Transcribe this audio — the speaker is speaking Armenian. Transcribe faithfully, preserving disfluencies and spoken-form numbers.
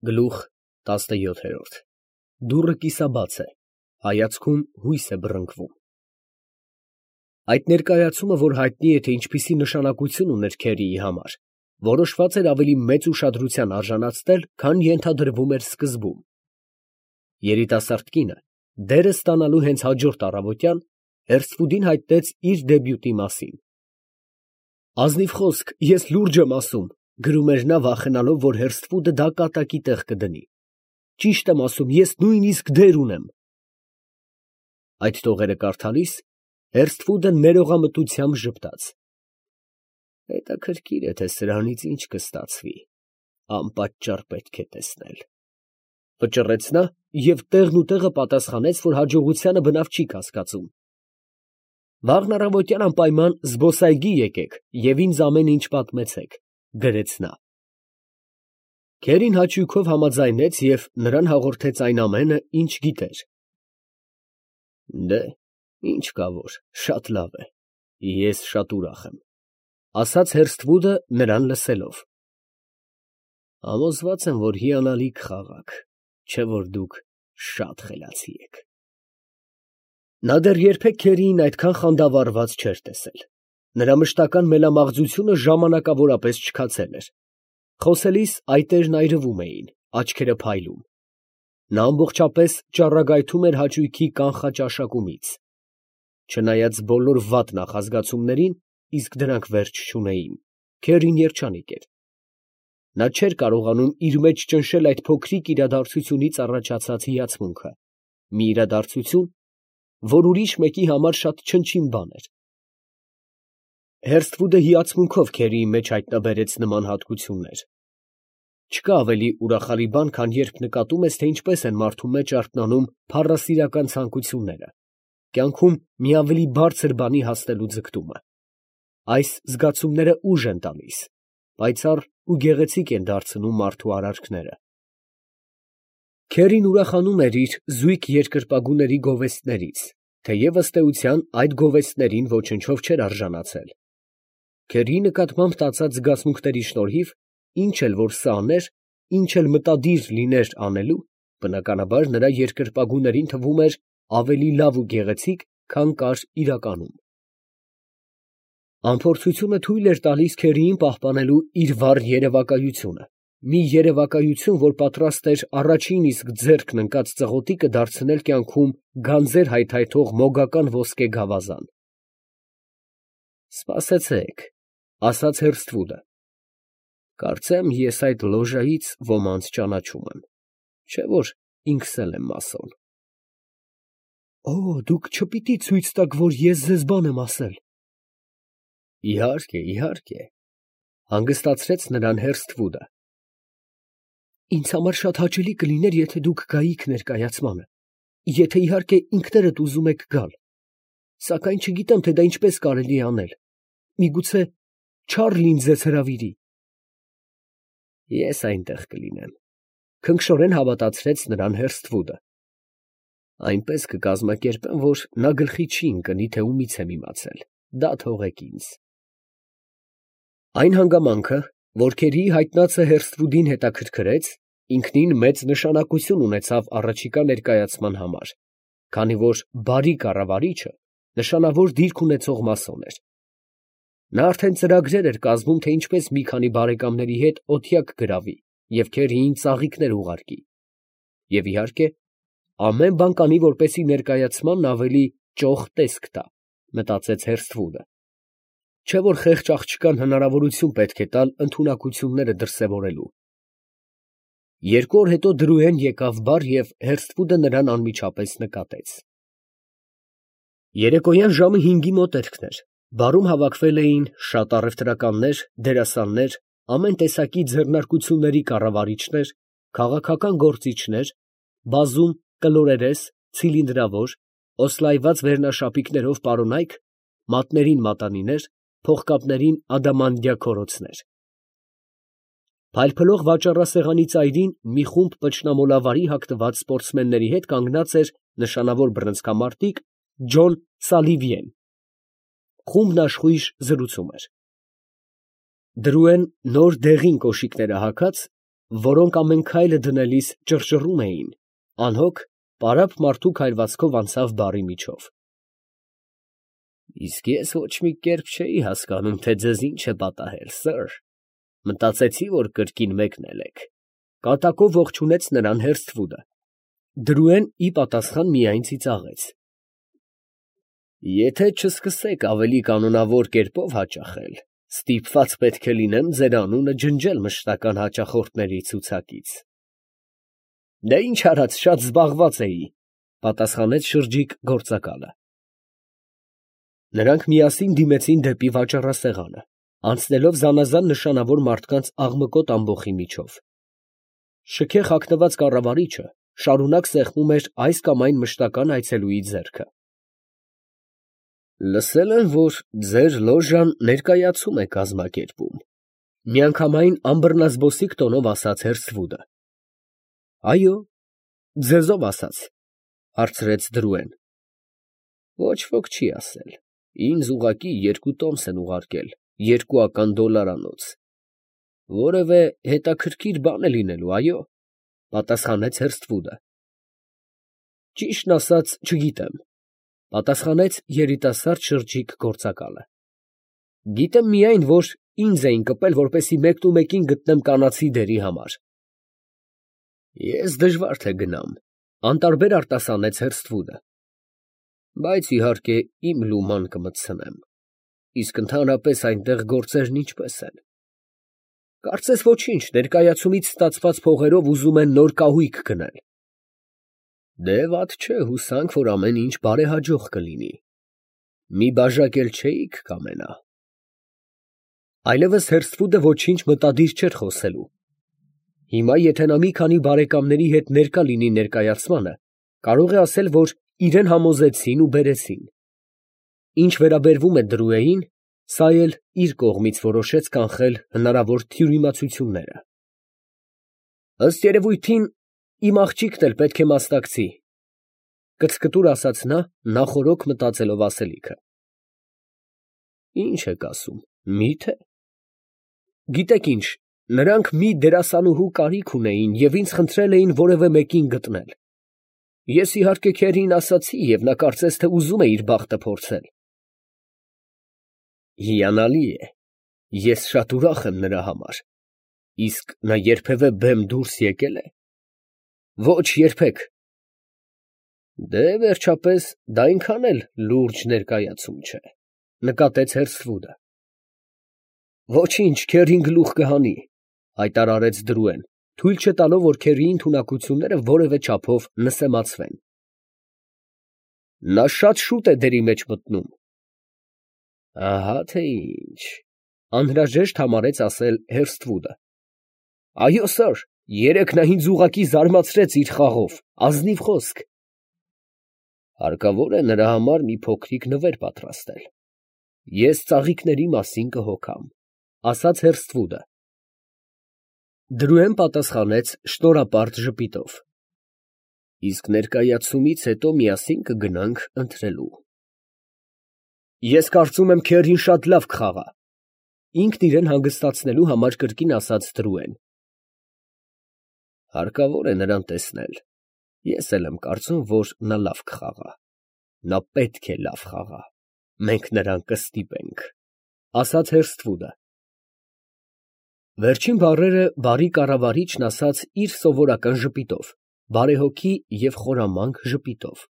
Գլուխ տասնյոթ։ Դուռը կիսաբաց է, հայացքում հույս է բռնկվում։ Այդ ներկայացումը, որ հայտնի է, թե ինչպիսի նշանակություն ուներ Քերիի համար, որոշված էր ավելի մեծ ուշադրության արժանացնել, քան ենթադրվում էր սկզբում։ Երիտասարդ կինը, դերը ստանալու հենց հաջորդ առավոտյան, Հերսթվուդին հայտնեց իր դեբյուտի մասին։ «Ազնիվ խոսք, ես լուրջ եմ ասում», ֊ գրում էր նա, վախենալով, որ Հերսթվուդը դա կատակի տեղ կդնի։ «Ճիշտ եմ ասում, ես նույնիսկ դեր ունեմ»։ Այդ տողերը կարդալիս, Հերսթվուդը ներողամտությամբ ժպտաց։ «Հետաքրքիր է, թե սրանից ինչ կստացվի, անպատճառ պետք է տեսնել», ֊ վճռեց նա և տեղն ու տեղը պատասխանեց, որ հաջողությանը բնավ չի կասկածում։ «Վաղն առավոտյան անպայման զբոսայգի եկեք և ինձ ամեն ինչ պատմեցեք», ֊ գրեց նա։ Քերին հաճույքով համաձայնեց և նրան հաղորդեց այն ամենը, ինչ գիտեր։ «Դե, ինչ կա որ, շատ լավ է, ես շատ ուրախ եմ», ֊ ասաց Հերսթվուդը, նրան լսելով։ «Համոզված եմ, որ հիանալի կխաղաք, չէ՞ որ դուք շատ խելացի եք»։ Նա դեռ երբեք Քերիին այդքան խանդավառված չէր տեսել։ Նրա մշտական մելամաղձությունը ժամանակավորապես չքացել էր։ Խոսելիս այտերն այրվում էին, աչքերը փայլում։ Նա ամբողջապես ճառագայթում էր հաճույքի կանխաճաշակումից։ Չնայած բոլոր վատ նախազգացումներին, իսկ դրանք վերջ չունեին, Քերին երջանիկ էր։ Նա չէր կարողանում իր մեջ ճնշել այդ փոքրիկ իրադարձությունից առաջացած հիացմունքը, մի իրադարձություն, որ ուրիշ մեկի համար շատ չնչին բան էր։ Հերսթվուդը հիացմունքով Քերիի մեջ հայտնաբերեց նման հատկություններ։ Չկա ավելի ուրախալի բան, քան երբ նկատում ես, թե ինչպես են մարդու մեջ արթնանում փառասիրական ցանկությունները, կյանքում մի ավելի բարձր բանի հասնելու ձգտումը։ Այս զգացումները ուժ են տալիս, պայծառ ու գեղեցիկ են դարձնում մարդու արարքները։ Քերին ուրախանում էր իր զույգ երկրպագուների գովեստներից, թեև ըստ էության այդ գովեստներին ոչնչով չէր արժանացել։ Քերիի նկատմամբ տածած զգացմունքների շնորհիվ, ինչ էլ որ սա աներ, ինչ էլ մտադիր լիներ անելու, բնականաբար նրա երկրպագուներին թվում էր ավելի լավ ու գեղեցիկ, քան կար իրականում։ Անփորձությունը թույլ էր տալիս Քերիին պահպանելու իր վառ երևակայությունը, մի երևակայություն, որ պատրաստ էր առաջին իսկ ձեռքն ընկած ծղոտիկը դարձնել կյանքում գանձեր հայթայթող մոգական ոսկե գավազան։ «Սպասեցեք», ֊ ասաց Հերսթվուդը, «կարծեմ ես այդ լոժայից ոմանց ճանաչում եմ, չէ՞ որ ինքս էլ եմ մասոն»։ «Օ, դուք չպիտի ցույց տաք, որ ես ձեզ բան եմ ասել»։ «Իհարկե, իհարկե», ֊ հանգստացրեց նրան Հերսթվուդը։ «Ինձ համար շատ հաճելի կլիներ, եթե դուք գայիք ներկայացմանը, եթե իհարկե ինքներդ ուզում եք գալ, սակայն չգիտեմ, թե դա ինչպես կարելի է անել, միգուցե Չարլին ձեզ հրավիրի»։ «Ես այնտեղ կլինեմ», ֊ քնքշորեն հավատացրեց նրան Հերսթվուդը։ «Այնպես կկազմակերպեմ, որ նա գլխի չի ընկնի, թե ումից եմ իմացել, դա թողեք ինձ»։ Այն հանգամանքը, որ Քերիի հայտնածը Հերսթվուդին հետաքրքրեց, ինքնին մեծ նշանակություն ունեցավ առաջիկա ներկայացման համար, քանի որ բարի կառավարիչը նշանավոր դիրք ունեցող մասոն էր։ Նա արդեն ծրագրեր էր կազմում, թե ինչպես մի քանի բարեկամների հետ օթյակ գրավի և Քերիին ծաղիկներ ուղարկի։ Եվ իհարկե, ամեն բան կանի, որպեսզի ներկայացմանն ավելի ճոխ տեսք տա, մտածեց Հերսթվուդը։ Չէ՞ որ խեղճ աղջկան հնարավորություն պետք է տալ ընդունակությունները դրսևորելու։ Երկու օր հետո Դրուեն եկավ բար և Հերսթվուդը նրան անմիջապես նկատեց։ Երեկոյան ժամը հինգի մոտերքն էր, բարում հավաքվել էին շատ առևտրականներ, դերասաններ, ամեն տեսակի ձեռնարկությունների կառավարիչներ, քաղաքական գործիչներ, բազում կլորերես, ցիլինդրավոր, օսլայված վերնաշապիկներով պարոնայք, մատներին մատանիներ, փողկապներին ադամանդյա քորոցներ։ Փայլփլող վաճառասեղանի ծայրին մի խումբ պճնամոլավարի հագնված սպորտսմենների հետ կանգնած էր նշանավոր բռնցքամարտիկ Ջոն Սալիվիեն։ Խումբն աշխույժ զրուցում էր։ Դրուեն նոր դեղին կոշիկները հագած, որոնք ամեն քայլը դնելիս ճռճռում էին, անհոգ, պարապ մարդու քայլվածքով անցավ բարի միջով։ Իսկ ես ոչ մի կերպ չէի հասկանում, թե ձեզ ինչ է պատահել, սըր, մտածեցի, որ կրկին մեկնել եք, կատակով ողջունեց նրան Հերսթվուդը։ Դրուեն ի պատասխան միայն ծիծաղեց։ Եթե չսկսեք ավելի կանոնավոր կերպով հաճախել, ստիպված պետք է լինեմ ձեր անունը ջնջել մշտական հաճախորդների ցուցակից։ Դե ինչ արած, շատ զբաղված էի, պատասխանեց շրջիկ գործակալը։ Նրանք միասին դիմեցին դեպի վաճառասեղանը, անցնելով զանազան նշանավոր մարդկանց աղմկոտ ամբոխի միջով։ Շքեղ հագնված կառավարիչը շարունակ սեղմում էր այս կամ այն մշտական այցելուի ձեռքը։ Լսել եմ, որ ձեր լոժան ներկայացում է կազմակերպում, միանգամայն ամբռնազբոսիկ տոնով ասաց Հերսթվուդը։ Այո, ձեզով ասաց, հարցրեց Դրուեն։ Ոչ ոք չի ասել, ինձ ուղղակի երկու տոմս են ուղարկել, երկուական դոլարանոց։ Որևէ հետաքրքիր բան է լինելու, այո, պատասխանեց Հերսթվուդը։ Ճիշտն ասած, չգիտեմ, պատասխանեց երիտասարդ շրջիկ գործակալը։ Գիտեմ միայն, որ ինձ էին կպել, որպեսզի մեկնումեկին գտնեմ կանացի դերի համար։ Ես դժվար թե գնամ, անտարբեր արտասանեց Հերսթվուդը։ Բայց իհարկե իմ լուման կմտցնեմ։ Իսկ ընդհանրապես այնտեղ գործերն ինչպես են։ Կարծես ոչինչ, ներկայացումից ստացված փողերով ուզում են նոր կահույք գնել։ Դե վատ չէ, հուսանք, որ ամեն ինչ բարեհաջող կլինի։ Մի բաժակ էլ չէիք կամենա։ Այլևս Հերսթվուդը ոչինչ մտադիր չէր խոսելու։ Հիմա եթե նա մի քանի բարեկամների հետ ներկա լինի ներկայացմանը, կարող է ասել, որ իրեն համոզեցին ու բերեցին։ Ինչ վերաբերվում է Դրուեին, սա էլ իր կողմից որոշեց կանխել հնարավոր թյուրիմացությունները։ Ըստ երևույթին, իմ աղջիկն էլ պետք է մասնակցի, կծկտուր ասաց նա, նախօրոք մտածելով ասելիքը։ Ինչ եք ասում, մի՞թե։ Գիտեք ինչ, նրանք մի դերասանուհու կարիք ունեին և ինձ խնդրել էին որևէ մեկին գտնել։ Ես իհարկե քերին ասացի և նա կարծես թե ուզում է իր բախտը փորձել։ Հիանալի է, ես շատ ուրախ եմ նրա համար։ Իսկ նա երբևէ բեմ դուրս եկել է։ Ոչ, երբեք։ Դե վերջապես դա այնքան էլ լուրջ ներկայացում չէ, նկատեց Հերսթվուդը։ Ոչինչ, քերին գլուխ կհանի, հայտարարեց Դրուեն, թույլ չտալով, որ քերիի ընդունակությունները որևէ չափով նսեմացվեն։ Նա շատ շուտ է դերի մեջ մտնում։ Ահա թե ինչ, անհրաժեշտ համարեց ասել Հերսթվուդը։ Այո, սըր, երեկ նա ինձ ուղղակի զարմացրեց իր խաղով, ազնիվ խոսք։ Հարկավոր է նրա համար մի փոքրիկ նվեր պատրաստել։ Ես ծաղիկների մասին կհոգամ, ասաց Հերսթվուդը։ Դրուեն պատասխանեց շնորհապարտ ժպիտով։ Իսկ ներկայացումից հետո միասին կգնանք ընթրելու։ Ես կարծում եմ քերին շատ լավ կխաղա, ինքն իրեն հանգստացնելու համար կրկին ասաց Դրուեն։ Հարկավոր է նրան տեսնել, ես էլ եմ կարծում, որ նա լավ կխաղա, նա պետք է լավ խաղա, մենք նրան կստիպենք, ասաց Հերսթվուդը։ Վերջին բառերը բարի կառավարիչն ասաց իր սովորական ժպիտով, բարեհոգի և խորամանկ ժպիտով։